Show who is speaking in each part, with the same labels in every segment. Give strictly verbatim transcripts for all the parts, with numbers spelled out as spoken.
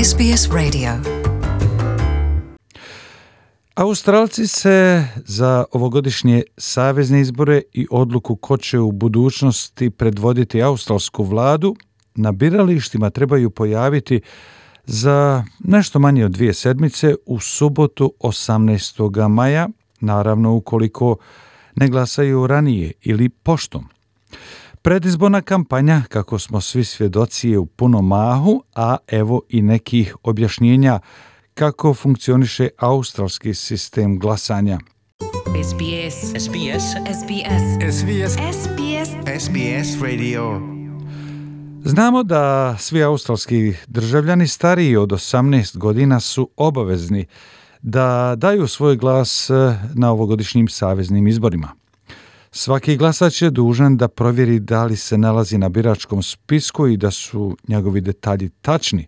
Speaker 1: S B S Radio.
Speaker 2: Australci se za ovogodišnje savezne izbore i odluku ko će u budućnosti predvoditi australsku vladu na biralištima trebaju pojaviti za nešto manje od dvije sedmice u subotu osamnaestog maja, naravno ukoliko ne glasaju ranije ili poštom. Predizborna kampanja, kako smo svi svjedoci, je u punom mahu, a evo i nekih objašnjenja kako funkcioniše australski sistem glasanja.
Speaker 3: S B S. S B S.
Speaker 1: S B S.
Speaker 4: S B S.
Speaker 1: S B S.
Speaker 4: S B S Radio.
Speaker 2: Znamo da svi australski državljani stariji od osamnaest godina su obavezni da daju svoj glas na ovogodišnjim saveznim izborima. Svaki glasač je dužan da provjeri da li se nalazi na biračkom spisku i da su njegovi detalji tačni.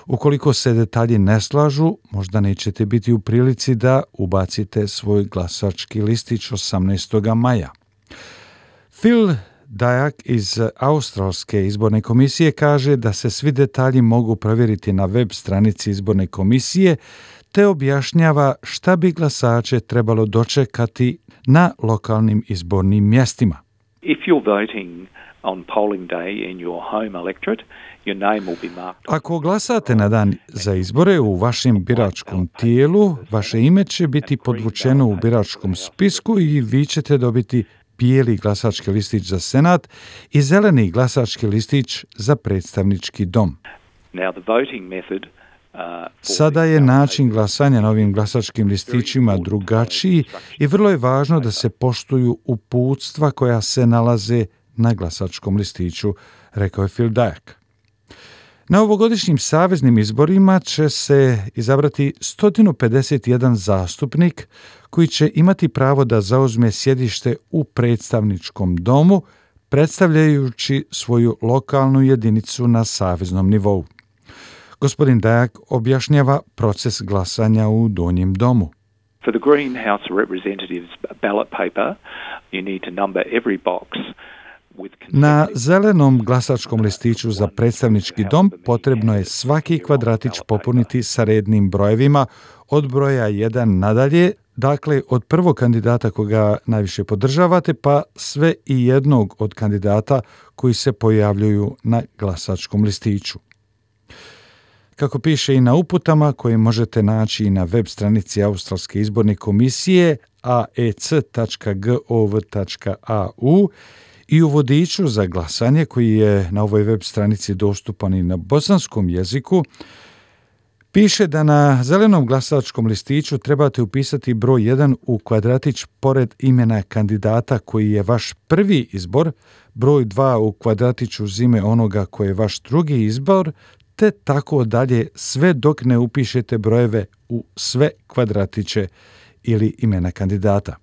Speaker 2: Ukoliko se detalji ne slažu, možda nećete biti u prilici da ubacite svoj glasački listić osamnaestog maja. Phil Dyack iz Australske izborne komisije kaže da se svi detalji mogu provjeriti na web stranici izborne komisije, te objašnjava šta bi glasače trebalo dočekati na lokalnim izbornim mjestima.
Speaker 5: If you're voting on polling day in your home electorate, your name will be marked.
Speaker 2: Ako glasate na dan za izbore u vašem biračkom tijelu, vaše ime će biti podvučeno u biračkom spisku i vi ćete dobiti bijeli glasački listić za senat i zeleni glasački listić za predstavnički dom.
Speaker 5: Now the voting method
Speaker 2: Sada je način glasanja na ovim glasačkim listićima drugačiji i vrlo je važno da se poštuju uputstva koja se nalaze na glasačkom listiću, rekao je Phil Dyack. Na ovogodišnjim saveznim izborima će se izabrati sto pedeset jedan zastupnik koji će imati pravo da zauzme sjedište u predstavničkom domu, predstavljajući svoju lokalnu jedinicu na saveznom nivou. Gospodin Dyack objašnjava proces glasanja u donjem domu.
Speaker 5: For the Green House of Representatives ballot paper, you need to number every box.
Speaker 2: Na zelenom glasačkom listiću za predstavnički dom potrebno je svaki kvadratić popuniti sa rednim brojevima od broja jedan nadalje, dakle od prvog kandidata koga najviše podržavate pa sve i jednog od kandidata koji se pojavljuju na glasačkom listiću. Kako piše i na uputama koje možete naći i na web stranici Australske izborne komisije a e c tačka gov tačka a u i u vodiču za glasanje koji je na ovoj web stranici dostupan i na bosanskom jeziku, piše da na zelenom glasačkom listiću trebate upisati broj jedan u kvadratić pored imena kandidata koji je vaš prvi izbor, broj dva u kvadratiću uz ime onoga koji je vaš drugi izbor, te tako dalje sve dok ne upišete brojeve u sve kvadratiće ili imena kandidata.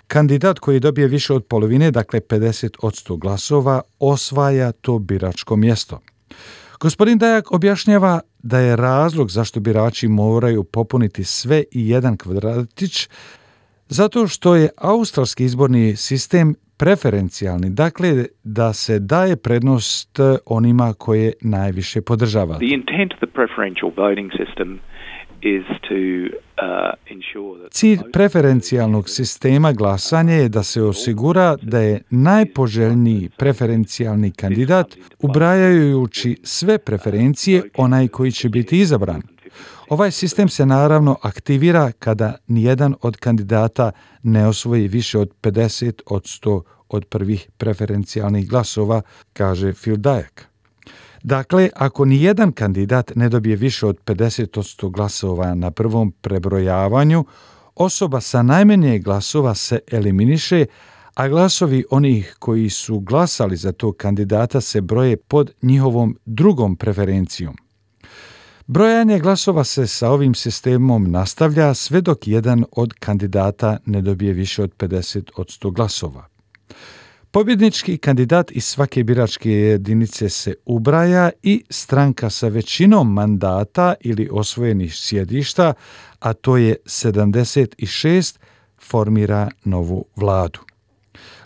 Speaker 2: Kandidat koji dobije više od polovine, dakle pedeset posto glasova, osvaja to biračko mjesto. Gospodin Dyack objašnjava da je razlog zašto birači moraju popuniti sve i jedan kvadratić zato što je australski izborni sistem preferencijalni, dakle da se daje prednost onima koje najviše podržava.
Speaker 5: The intent of the preferential voting system is to uh, ensure that
Speaker 2: Cilj preferencijalnog sistema glasanja je da se osigura da je najpoželjniji preferencijalni kandidat, ubrajajući sve preferencije, onaj koji će biti izabran. Ovaj sistem se naravno aktivira kada nijedan od kandidata ne osvoji više od pedeset posto od prvih preferencijalnih glasova, kaže Phil Dyack. Dakle, ako nijedan kandidat ne dobije više od pedeset posto glasova na prvom prebrojavanju, osoba sa najmanje glasova se eliminiše, a glasovi onih koji su glasali za tog kandidata se broje pod njihovom drugom preferencijom. Brojanje glasova se sa ovim sistemom nastavlja sve dok jedan od kandidata ne dobije više od pedeset posto glasova. Pobjednički kandidat iz svake biračke jedinice se ubraja i stranka sa većinom mandata ili osvojenih sjedišta, a to je sedamdeset šest, formira novu vladu.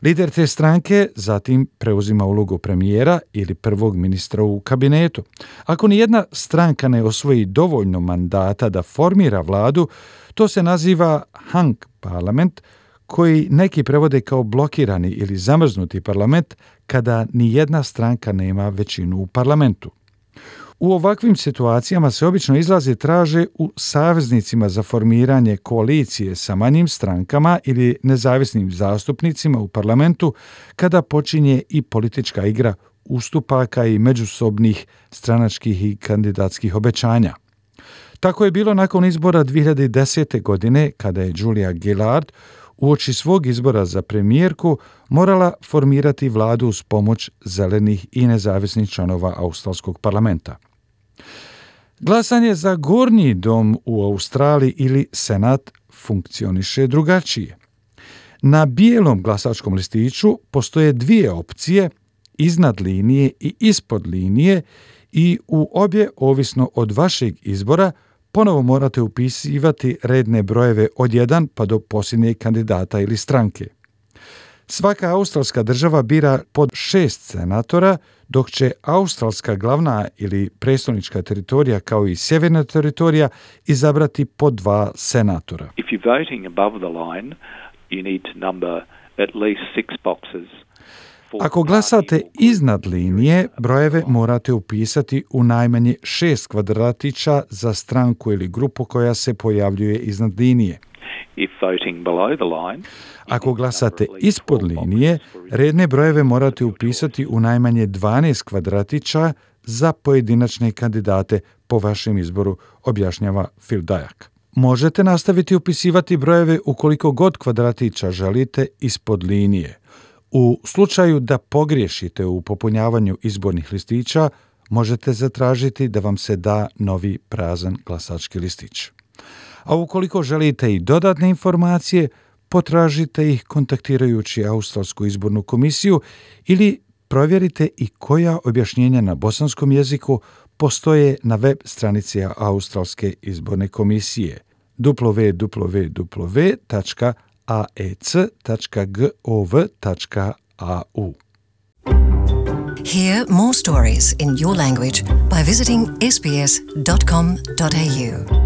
Speaker 2: Lider te stranke zatim preuzima ulogu premijera ili prvog ministra u kabinetu. Ako ni jedna stranka ne osvoji dovoljno mandata da formira vladu, to se naziva hung parlament, koji neki prevode kao blokirani ili zamrznuti parlament kada ni jedna stranka nema većinu u parlamentu. U ovakvim situacijama se obično izlazi traže u saveznicima za formiranje koalicije sa manjim strankama ili nezavisnim zastupnicima u parlamentu kada počinje i politička igra ustupaka i međusobnih stranačkih i kandidatskih obećanja. Tako je bilo nakon izbora dvije hiljade desete. godine kada je Julia Gillard uoči svog izbora za premijerku morala formirati vladu uz pomoć zelenih i nezavisnih članova australskog parlamenta. Glasanje za gornji dom u Australiji ili Senat funkcioniše drugačije. Na bijelom glasačkom listiću postoje dvije opcije, iznad linije i ispod linije, i u obje, ovisno od vašeg izbora, ponovo morate upisivati redne brojeve od jedan pa do posljednjeg kandidata ili stranke. Svaka australska država bira pod šest senatora, dok će australska glavna ili prestolnička teritorija kao i sjeverna teritorija izabrati po dva senatora.
Speaker 5: If you're voting above the line, you need to number at least six boxes.
Speaker 2: Ako glasate iznad linije, brojeve morate upisati u najmanje šest kvadratića za stranku ili grupu koja se pojavljuje iznad linije.
Speaker 5: If voting below the line,
Speaker 2: Ako glasate ispod linije, redne brojeve morate upisati u najmanje dvanaest kvadratića za pojedinačne kandidate po vašem izboru, objašnjava Phil Dyack. Možete nastaviti upisivati brojeve ukoliko god kvadratića želite ispod linije. U slučaju da pogriješite u popunjavanju izbornih listića, možete zatražiti da vam se da novi prazan glasački listić. A ukoliko želite i dodatne informacije, potražite ih kontaktirajući Australsku izbornu komisiju ili provjerite i koja objašnjenja na bosanskom jeziku postoje na web stranici Australske izborne komisije w w w tačka a e c tačka gov tačka a u.
Speaker 1: Hear more stories in your language by visiting s b s dot com dot a u.